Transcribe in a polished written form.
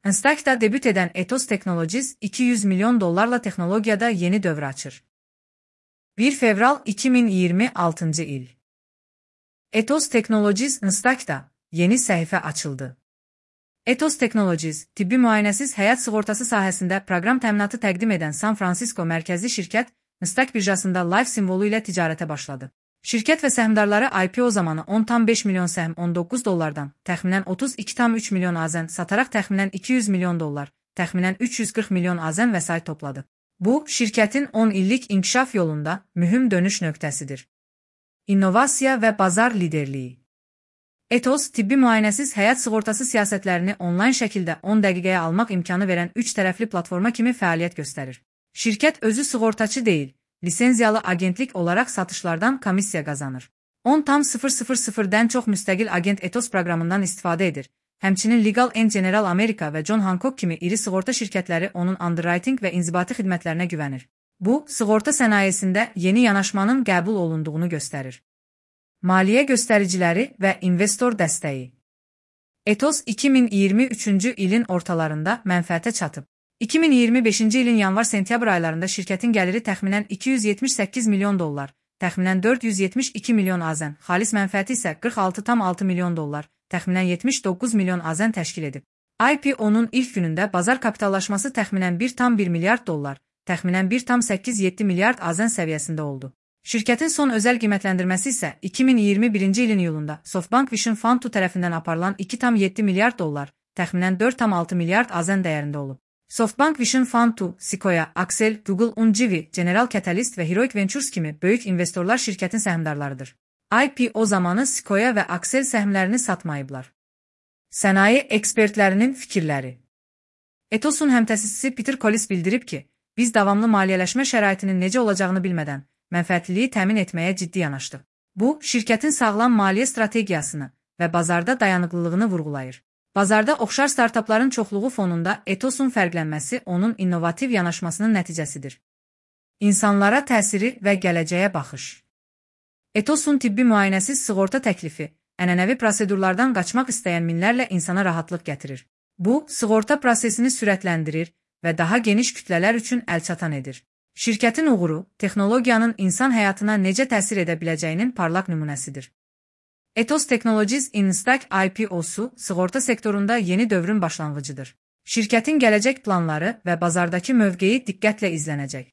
Nasdaq'da debüt eden Ethos Technologies, $200 milyon texnologiyada yeni dövr açır. 1 fevral 2026 il. Ethos Technologies Nasdaq'da yeni səhifə açıldı. Ethos Technologies, tibbi müayinəsiz həyat sığortası sahəsində proqram təminatı təqdim edən San Francisco mərkəzli şirkət, Nasdaq birjasında Life simvolu ilə ticarətə başladı. Şirkət və səhmdarları IPO zamanı $10,5 milyon səhm $19, təxminən $32,3 milyon AZN sataraq təxminən $200 milyon, təxminən $340 milyon AZN vəsait topladı. Bu, şirkətin 10 illik inkişaf yolunda mühüm dönüş nöqtəsidir. İnnovasiya və bazar liderliyi. Ethos, tibbi müayinəsiz həyat sığortası siyasətlərini onlayn şəkildə 10 dəqiqəyə almaq imkanı verən 3 tərəfli platforma kimi fəaliyyət göstərir. Şirkət özü sığortaçı deyil, lisenziyalı agentlik olaraq satışlardan komissiya qazanır. 10,000'dən çox müstəqil agent Ethos proqramından istifadə edir. Həmçinin Legal & General America və John Hancock kimi iri sığorta şirkətləri onun underwriting və inzibati xidmətlərinə güvənir. Bu, sığorta sənayesində yeni yanaşmanın qəbul olunduğunu göstərir. Maliyyə göstəriciləri və investor dəstəyi. Ethos 2023-cü ilin ortalarında mənfəətə çatıb. 2025-ci ilin yanvar-sentyabr aylarında şirkətin gəliri təxminən $278 milyon, təxminən $472 milyon AZN, xalis mənfəəti isə $46,6 milyon, təxminən $79 milyon AZN təşkil edib. IPO-nun ilk günündə bazar kapitallaşması təxminən $1,1 milyard, təxminən $1,87 milyard AZN səviyyəsində oldu. Şirkətin son özəl qiymətləndirməsi isə 2021-ci ilin iyulunda SoftBank Vision Fund 2 tərəfindən aparılan $2,7 milyard, təxminən $4,6 milyard AZN dəyərində olub. SoftBank Vision Fund 2, Sequoia, Accel, Google, Unjivi, General Catalyst və Heroic Ventures kimi böyük investorlar şirkətin səhmdarlarıdır. IPO zamanı Sequoia və Accel səhmlərini satmayıblar. Sənaye ekspertlərinin fikirləri. Ethosun həmtəsisçisi Peter Collis bildirib ki, biz davamlı maliyyələşmə şəraitinin necə olacağını bilmədən mənfəətliliyi təmin etməyə ciddi yanaşdıq. Bu, şirkətin sağlam maliyyə strategiyasını və bazarda dayanıqlılığını vurğulayır. Bazarda oxşar startapların çoxluğu fonunda Ethosun fərqlənməsi onun innovativ yanaşmasının nəticəsidir. İnsanlara təsiri və gələcəyə baxış. Ethosun tibbi müayinəsiz sığorta təklifi, ənənəvi prosedurlardan qaçmaq istəyən minlərlə insana rahatlıq gətirir. Bu, sığorta prosesini sürətləndirir və daha geniş kütlələr üçün əlçatan edir. Şirkətin uğuru, texnologiyanın insan həyatına necə təsir edə biləcəyinin parlaq nümunəsidir. Ethos Technologies Nasdaq IPO-su sığorta sektorunda yeni dövrün başlanğıcıdır. Şirkətin gələcək planları və bazardakı mövqeyi diqqətlə izlənəcək.